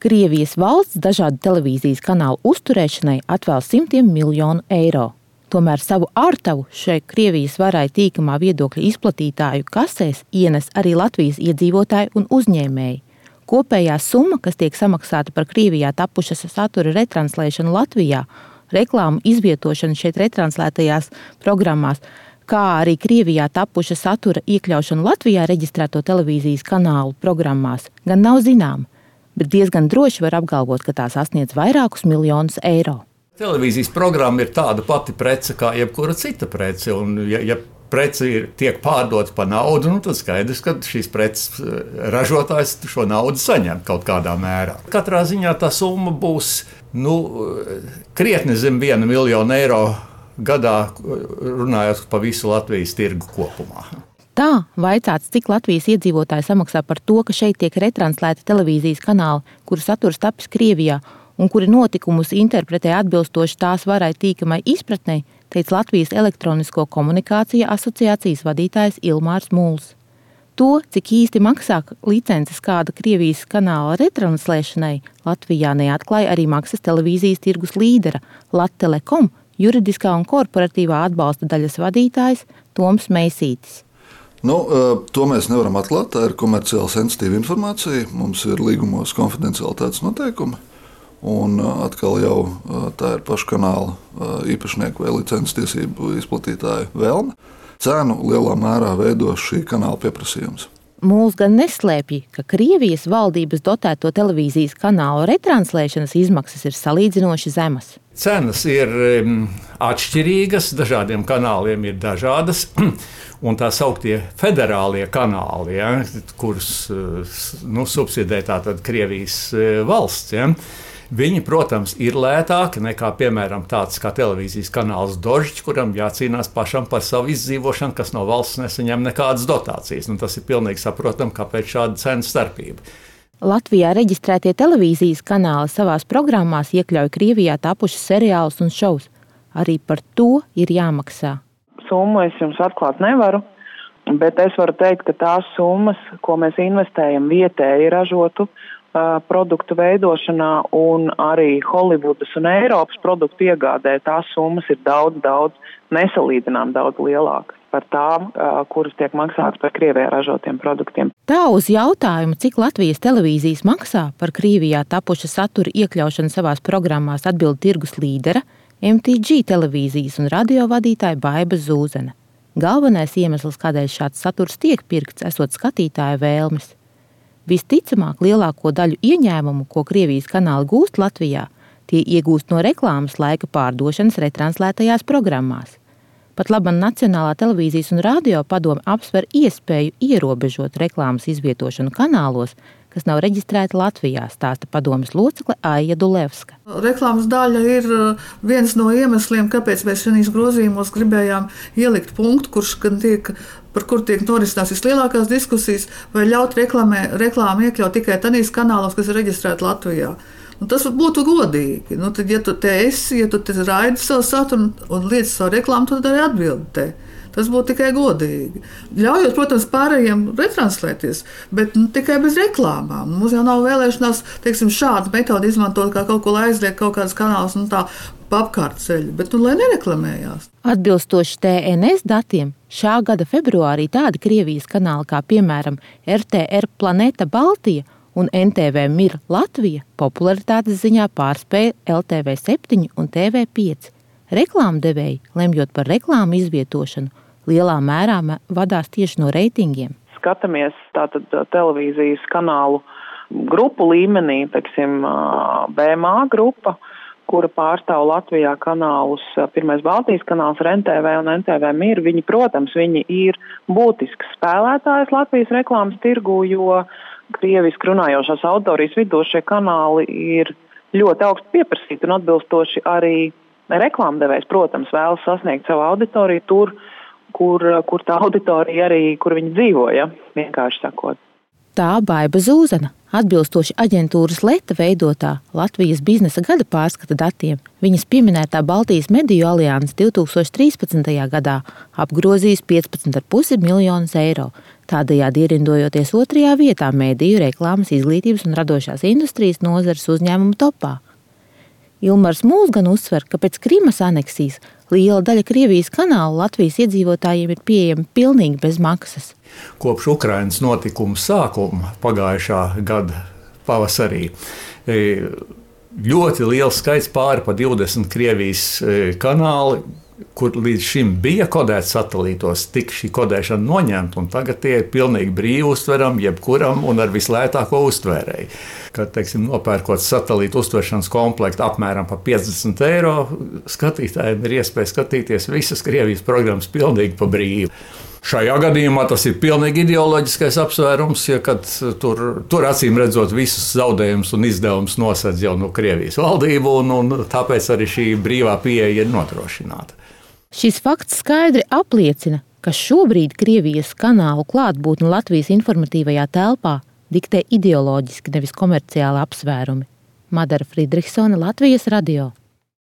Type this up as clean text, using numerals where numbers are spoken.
Krievijas valsts dažādu televīzijas kanālu uzturēšanai atvēl simtiem miljonu eiro. Tomēr savu ārtavu šai Krievijas varai tīkamā viedokļa izplatītāju kasēs ienes arī Latvijas iedzīvotāji un uzņēmēji. Kopējā summa, kas tiek samaksāta par Krievijā tapušas satura retranslēšanu Latvijā, reklāmu izvietošanu šeit retranslētajās programmās, kā arī Krievijā tapuša satura iekļaušanu Latvijā reģistrēto televīzijas kanālu programmās, gan nav zināma, bet diezgan droši var apgalvot, ka tā sasniedz vairākus miljonus eiro. Televīzijas programma ir tāda pati prece kā jebkura cita prece, un ja prece tiek pārdota par naudu, tad skaidrs, ka šīs preces ražotājs šo naudu saņem kaut kādā mērā. Katrā ziņā tā summa būs krietni zem 1 miljonu eiro gadā, runājot pa visu Latvijas tirgu kopumā. Tā vaicāts, cik Latvijas iedzīvotāji samaksā par to, ka šeit tiek retranslēti televīzijas kanāli, kuru saturs tapis Krievijā, un kuri notikumus interpretē atbilstoši tās varai tīkamai izpratnei, teica Latvijas elektronisko komunikāciju asociācijas vadītājs Ilmārs Mūls. To, cik īsti maksā licences kāda Krievijas kanāla retranslēšanai, Latvijā neatklāja arī maksas televīzijas tirgus līdera Lattelekom juridiskā un korporatīvā atbalsta daļas vadītājs Toms Meisītis. To mēs nevaram atklāt, tā ir komerciāli sensitīva informācija, mums ir līgumos konfidencialitātes noteikumi. Un atkal jau tā ir paša kanāla īpašnieku vai licences tiesību izplatītāju vēlme. Cenu lielā mērā veido šī kanāla pieprasījums. Mūls gan neslēpj, ka Krievijas valdības dotēto televīzijas kanālu retranslēšanas izmaksas ir salīdzinoši zemas. Cenas ir atšķirīgas, dažādiem kanāliem ir dažādas, un tā sauktie federālie kanāli, kurus subsidē tātad Krievijas valsts, viņi, protams, ir lētāki nekā, piemēram, tāds kā televīzijas kanāls Dožģis, kuram jācīnās pašam par savu izdzīvošanu, kas no valsts nesaņem nekādas dotācijas. Tas ir pilnīgi saprotami, kāpēc šāda cenu starpība. Latvijā reģistrētie televīzijas kanāli savās programmās iekļauj Krievijā tapušas seriālus un šovus. Arī par to ir jāmaksā. Summu es jums atklāt nevaru, bet es varu teikt, ka tās summas, ko mēs investējam vietēji ražotu produktu veidošanā un arī Holivudas un Eiropas produktu iegādē, tās summas ir daudz nesalīdzinām daudz lielākas par tām, kuras tiek maksātas par Krievijā ražotiem produktiem. Tā uz jautājumu, cik Latvijas televīzijas maksā par Krievijā tapuša satura iekļaušanu savās programmās, atbild tirgus līdera, MTG televīzijas un radio vadītāja Baiba Zūzene. Galvenais iemesls, kādēļ šāds saturs tiek pirkts, esot skatītāja vēlmes. Visticamāk, lielāko daļu ieņēmumu, ko Krievijas kanāli gūst Latvijā, tie iegūst no reklāmas laika pārdošanas retranslētajās programmās. Pat laban Nacionālā televīzijas un radio padome apsver iespēju ierobežot reklāmas izvietošanu kanālos, kas nav reģistrēti Latvijā, stāsta padomes locekle Aija Dulevska. Reklāmas daļa ir viens no iemesliem, kāpēc mēs šajos grozījumos gribējām ielikt punktu, par kur tiek norisināts vislielākās diskusijas, vai ļaut reklāmu iekļaut tikai tādīs kanālos, kas ir reģistrēti Latvijā. Tas būtu godīgi. Tad, ja tu te esi, ja tu te raidi savu saturu un liec savu reklāmu, tad arī atbildi te. Tas būtu tikai godīgi. Ļaujot, protams, pārējiem retranslēties, bet tikai bez reklāmām. Mums jau nav vēlēšanās, šādu metodi izmantot, kā kaut ko aizliegt, kaut kādas kanālas un tā pa apkārt ceļu, bet lai nereklamējās. Atbilstoši TNS datiem, šā gada februārī tādi Krievijas kanāli kā, piemēram, RTR Planeta Baltija un NTV Mir Latvija popularitātes ziņā pārspēja LTV 7 un TV5. Reklāmdevēji, lemjot par reklāmu izvietošanu, lielā mērā vadās tieši no reitingiem. Skatāmies tātad televīzijas kanālu grupu līmenī, BMA grupa, kura pārstāv Latvijā kanālus, pirmais Baltijas kanāls ir NTV un NTV Mir. Viņi ir būtisks spēlētājs Latvijas reklāmas tirgū, jo krieviski runājošās auditorijas vidū šie kanāli ir ļoti augstu pieprasīti un atbilstoši arī reklāmdevējs, protams, vēlas sasniegt savu auditoriju tur, kur tā auditorija arī, kur viņi dzīvo, vienkārši sakot. Tā Baiba Zūzena, atbilstoši aģentūras Leta veidotā Latvijas biznesa gada pārskata datiem, viņas pieminētā Baltijas mediju alianse 2013. gadā apgrozījis 15,5 miljonus eiro. tādējādi ierindojoties 2. vietā mediju, reklāmas, izglītības un radošās industrijas nozares uzņēmumu topā. Ilmars Mūls gan uzsver, ka pēc Krimas aneksijas liela daļa Krievijas kanālu Latvijas iedzīvotājiem ir pieejama pilnīgi bez maksas. Kopš Ukrainas notikumu sākuma pagājušā gada pavasarī ļoti liels skaits, pāri pa 20 Krievijas kanāli, kur līdz šim bija kodēts satelītos, tika šī kodēšana noņemta, un tagad tie ir pilnīgi brīvi uztverami jebkuram un ar vislētāko uztvērēju. Kad, teiksim, nopērkot satelītu uztveršanas komplektu apmēram par 50 eiro, skatītājiem ir iespēja skatīties visas Krievijas programmas pilnīgi pa brīvu. Šajā gadījumā tas ir pilnīgi ideoloģiskais apsvērums, ja kad tur acīm redzot visus zaudējumus un izdevumus nosedz jau no Krievijas valdību, un tāpēc arī šī brīvā pieeja ir nodrošināta. Šis fakts skaidri apliecina, ka šobrīd Krievijas kanālu klātbūtne Latvijas informatīvajā telpā diktē ideoloģiski, nevis komerciāli apsvērumi. Madara Friedrichsone, Latvijas radio.